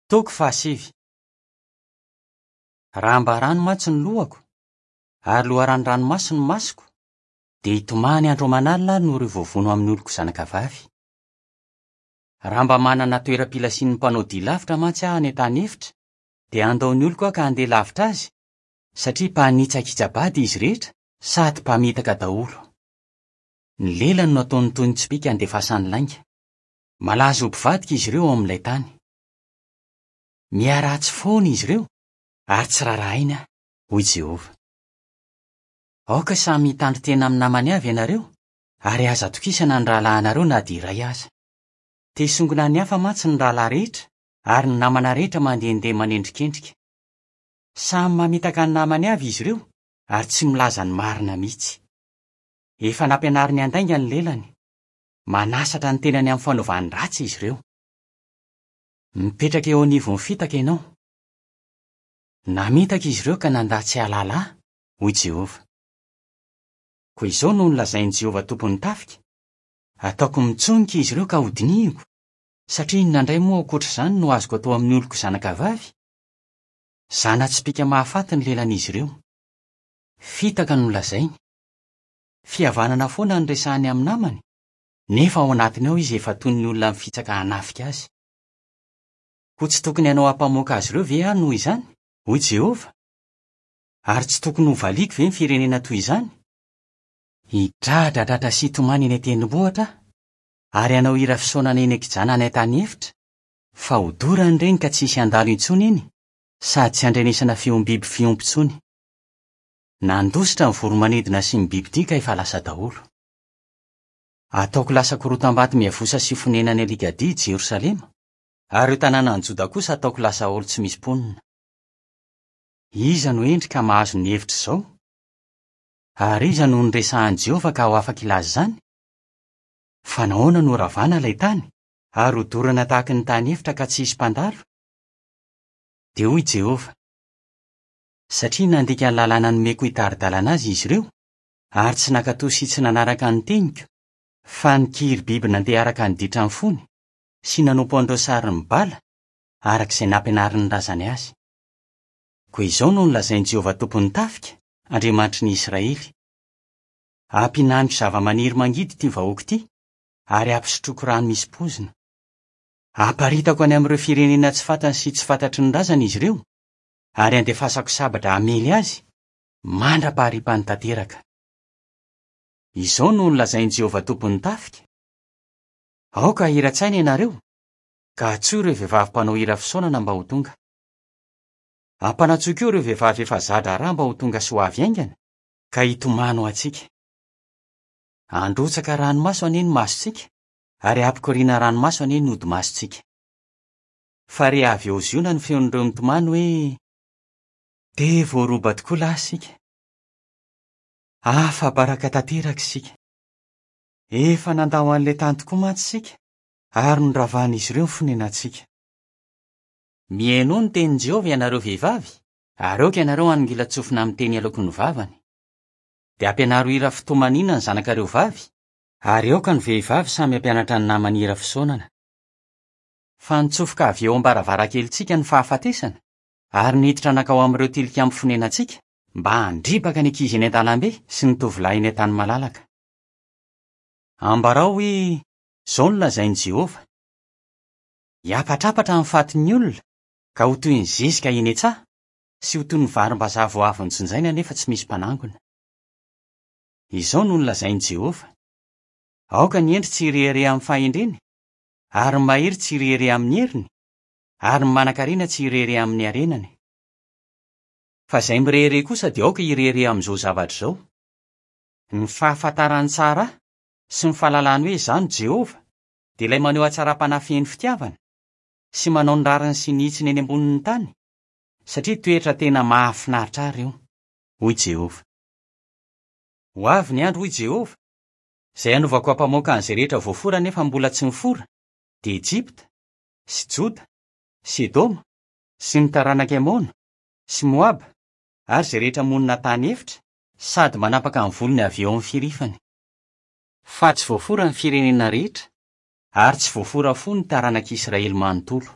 Toko fahasivy. Raha mba rano mantsy ny lohako, ary loharanon-dranomaso ny masoko, dia hitomany andro aman'alina aho noho ireo voavono amin'ny oloko zanakavavy. Raha mba manana toeram-pilasian'ny mpanao dia lavitra mantsy aho any an-tany efitra, dia handao ny oloko aho ka handeha lavitra azy, satria mpanitsakitsa-bady izy rehetra sady mpamitaka daholo. Ny lelany no ataony toy ny tsipìka andefasany lainga. Malaza ho mpivadika izy ireo ao amin'ilay tany. Miharatsy foana izy ireo, ary tsy rarahainy aho, hoy Jehovah. Aoka samy hitandrin-tena amin'ny namany avy ianareo, ary aza atokisana ny rahalahinareo na dia iray aza. Te hisongona ny hafa mantsy ny rahalahy rehetra, ary ny namana rehetra mandehandeha manendrikendrika. Samy mamitaka ny namany avy izy ireo, ary tsy milaza ny marina mihitsy. Efa nampianariny handainga ny lelany. Manasatra ny tenany amin'ny fanaovany ratsy izy ireo. Mipetraka eo anivon'ny fitaka ianao. Namitaka izy ireo ka nandà tsy hahalala ahy, hoy Jehovah. Koa izao no nolazain'i Jehovah Tompon'ny tafika, Ataoko mitsonika izy ireo ka hodinihiko, satria inona indray moa ankoatra izany no azoko atao amin'ny oloko zanakavavy? Zana-tsipìka mahafaty ny lelan'izy ireo. Fitaka no lazainy. Fihavanana foana no resahiny amin'ny namany, nefa ao anatiny ao izy efa toy ny olona mifitsaka hanafika azy. Koa tsy tokony hanao ampamoaka azy ireo ve aho noho izany? hoy Jehovah. Ary tsy tokony hovaliako ve ny firenena toy izany? Hidradradradra sy hitomany eny an-tendrombohitra aho, ary hanao hira fisaonana eny an-kijana any an-tany efitra, fa hodorany ireny ka tsy hisy handalo intsony eny, sady tsy handrenesana feom-biby fiompy intsony. Nandositra ny voro-manidina sy ny bibidia ka efa lasa daholo. Ataoko lasa korotam-bato miavosa sy fonenan'ny alikadia i Jerosalema, ary ireo tanànan'i Joda kosa ataoko lasa aolo tsy misy mponina. Iza no hendry ka mahazo ny hevitr'izao? Ary iza no noresahan'i Jehovah ka ho afaka hilaza izany? Fa nahoana no horavana ilay tany, ary hodorana tahaka ny tany efitra ka tsy hisy mpandalo? Dia hoy Jehovah, Satria nandika ny lalàna nomeko hitari-dalana azy izy ireo, ary tsy nankatò sy tsy nanaraka ny teniko, fa nikiry biby nandeha araka ny ditran'ny fony, sy nanompo an'ireo sarin'i Bala, araka izay nampianarin'ny razany azy. Koa izao no nolazain'i Jehovah Tompon'ny tafika, Andriamanitry ny Israely, Hampihinaniko zavamaniry mangidy ity vahoaka ity, ary hampisotroiko rano misy poizina. Haparitako any amin'ireo firenena tsy fantany sy tsy fantatry ny razany izy ireo, ary handefasako sabatra hamely azy, mandra-paharipany tanteraka. Izao no nolazain'i Jehovah Tompon'ny tafika, Aoka hahira-tsaina ianareo, ka antsoy ireo vehivavy mpanao hira fisaonana mba ho tonga. Ampanantsoy koa ireo vehivavy efa za-draharaha mba ho tonga sy ho avy haingana, ka hitomany ho antsika. Handrotsaka ranomaso anie ny masontsika, ary hampikoriana ranomaso anie ny hodi-masontsika. Fa re avy eo Ziona ny feon'ireo mitomany hoe, Dia voaroba tokoa lahy isika! Afa-baraka tanteraka isika! Efa nandao an'ilay tany tokoa mantsy isika, ary noravan'izy ireo ny fonenantsika. Mihainoa ny tenin'i Jehovah, ianareo vehivavy, ary aoka ianareo hanongilan-tsofina amin'ny teny aloaky ny vavany. Dia ampianaro hira fitomaniana ny zanakareo vavy, ary aoka ny vehivavy samy hampianatra ny namany hira fisaonana. Fa nitsofoka avy eo am-baravarankelintsika ny fahafatesana, ary niditra nankao amin'ireo tilikambo fonenantsika, mba handripaka ny ankizy eny an-dalambe sy ny tovolahy eny an-tany malalaka. Ambarao hoe, 'Izao no lazain'i Jehovah, Hiampatrampatra ny fatin'ny olona, ka ho toy ny zezika eny an-tsaha, sy ho toy ny varimbazaha vao avy nojinjaina nefa tsy misy mpanangona. Izao no nolazain'i Jehovah, Aoka ny hendry tsy hirehareha amin'ny fahendreny, Ary ny mahery tsy hirehareha amin'ny heriny, ary ny manankarena tsy hirehareha amin'ny harenany. Fa izay mirehareha kosa dia aoka hirehareha amin'izao zavatra izao, Ny fahafantarany tsara Ahy, sy ny fahalalany hoe Izaho no Jehovah, dia ilay maneho hatsaram-panahy feno fitiavana, sy manao ny rariny sy ny hitsiny eny ambonin'ny tany, satria toetra tena mahafinaritra Ahy ireo, hoy Jehovah. Ho avy ny andro, hoy Jehovah, Izay hanaovako ampamoaka an'izay rehetra voafora nefa mbola tsy nifora, dia Egypta, sy Joda, sy Edoma, sy ny taranak'i Amona, sy Moaba, ary izay rehetra monina an-tany efitra, sady manapaka ny volony avy eo amin'ny firifany. Fa tsy voafora ny firenena rehetra, ary tsy voafora fo ny taranak'Israely manontolo.